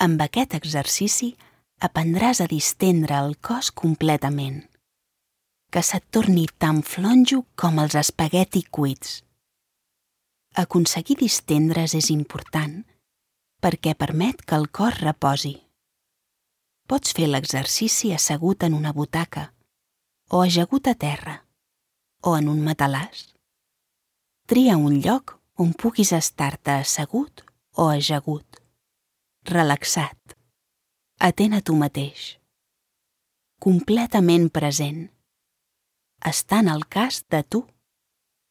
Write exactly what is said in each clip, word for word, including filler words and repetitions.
Amb aquest exercici aprendràs a distendre el cos completament, que se't torni tan flonjo com els espagueti cuits. Aconseguir distendre's és important perquè permet que el cos reposi. Pots fer l'exercici assegut en una butaca, o ajagut a terra, o en un matalàs. Tria un lloc on puguis estar-te assegut o ajagut, relaxat, atent a tu mateix, completament present, estant al cas de tu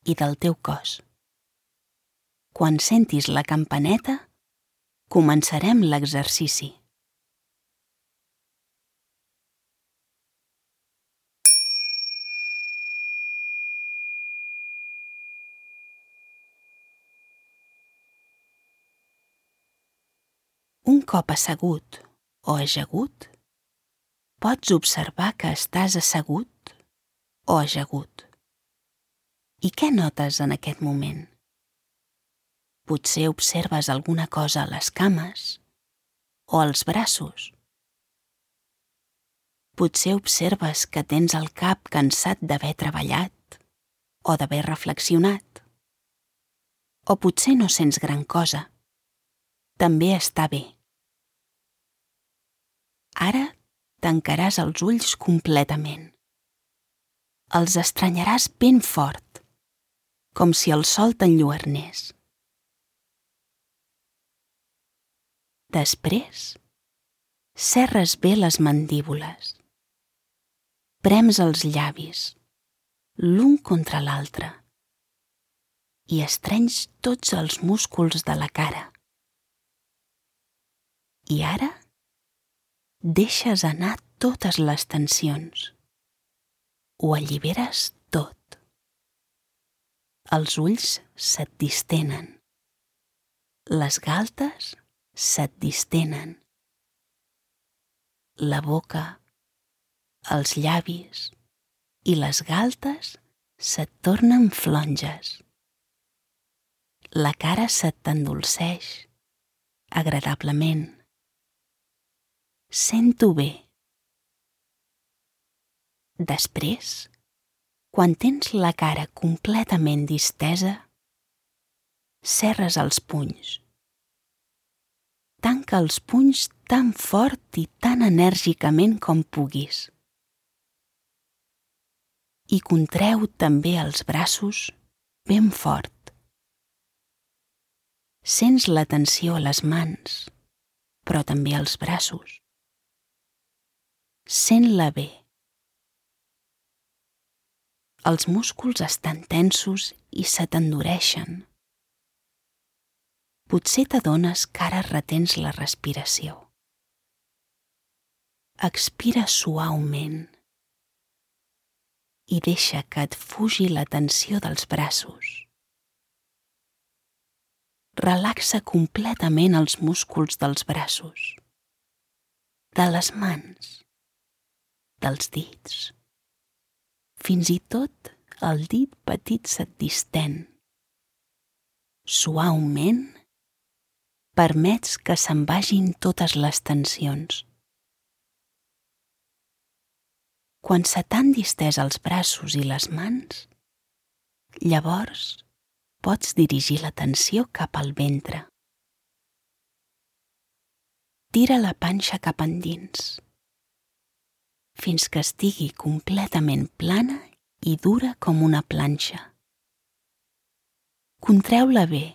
i del teu cos. Quan sentis la campaneta, començarem l'exercici. Un cop assegut o ajagut, pots observar que estàs assegut o ajagut. I què notes en aquest moment? Potser observes alguna cosa a les cames o als braços. Potser observes que tens el cap cansat d'haver treballat o d'haver reflexionat. O potser no sents gran cosa. També està bé. Ara tancaràs els ulls completament. Els estranyaràs ben fort, com si el sol t'enlluernés. Després, serres bé les mandíbules. Prems els llavis, l'un contra l'altre, i estrenys tots els músculs de la cara. I ara, deixes anar totes les tensions. Ho alliberes tot. Els ulls se't distenen. Les galtes se't distenen. La boca, els llavis i les galtes se't tornen flonges. La cara se't endolceix, agradablement. Sento bé. Després, quan tens la cara completament distesa, serres els punys. Tanca els punys tan fort i tan enèrgicament com puguis. I contreu també els braços ben fort. Sents la tensió a les mans, però també als braços. Sent-la bé. Els músculs estan tensos i se t'endureixen. Potser t'adones que ara retens la respiració. Expira suaument i deixa que et fugi la tensió dels braços. Relaxa completament els músculs dels braços, de les mans, dels dits. Fins i tot el dit petit se't distén. Suaument, permets que se'n vagin totes les tensions. Quan se t'han distès els braços i les mans, llavors pots dirigir l'atenció cap al ventre. Tira la panxa cap endins, fins que estigui completament plana i dura com una planxa. Contreu-la bé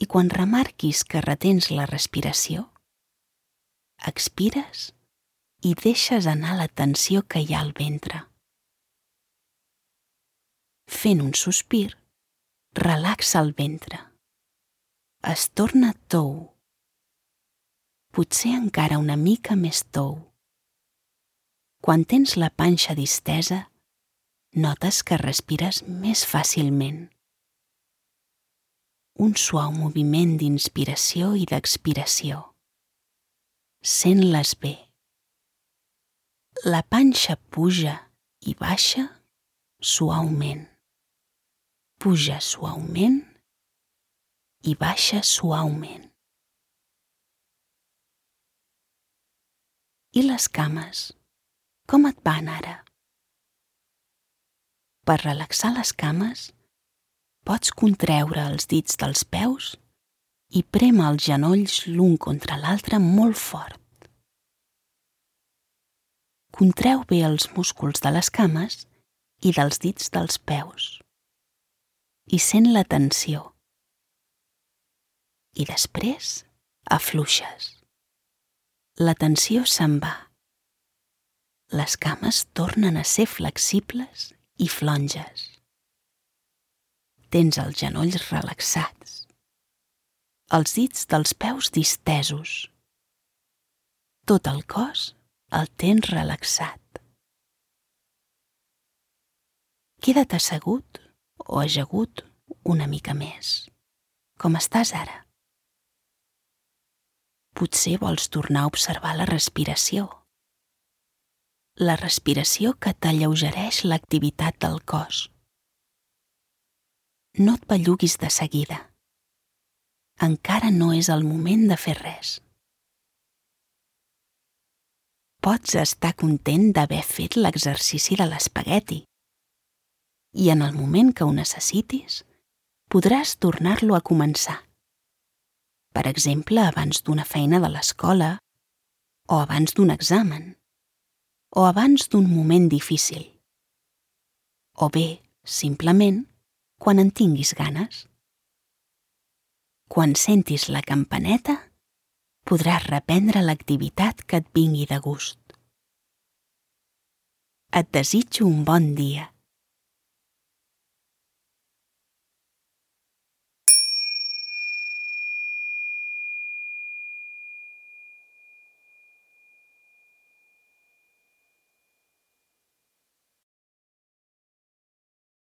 i quan remarquis que retens la respiració, expires i deixes anar la tensió que hi ha al ventre. Fent un sospir, relaxa el ventre. Es torna tou. Potser encara una mica més tou. Quan tens la panxa distesa, notes que respires més fàcilment. Un suau moviment d'inspiració i d'expiració. Sent-les bé. La panxa puja i baixa suaument. Puja suaument i baixa suaument. I les cames, com et van ara? Per relaxar les cames, pots contreure els dits dels peus i prémer els genolls l'un contra l'altre molt fort. Contreu bé els músculs de les cames i dels dits dels peus i sent la tensió. I després afluixes. La tensió se'n va. Les cames tornen a ser flexibles i flonges. Tens els genolls relaxats, els dits dels peus distesos. Tot el cos el tens relaxat. Queda't assegut o ajagut una mica més. Com estàs ara? Potser vols tornar a observar la respiració. La respiració que t'alleugereix l'activitat del cos. No et belluguis de seguida. Encara no és el moment de fer res. Pots estar content d'haver fet l'exercici de l'espagueti i en el moment que ho necessitis podràs tornar-lo a començar. Per exemple, abans d'una feina de l'escola, o abans d'un examen, o abans d'un moment difícil, o bé, simplement, quan en tinguis ganes. Quan sentis la campaneta, podràs reprendre l'activitat que et vingui de gust. Et desitjo un bon dia.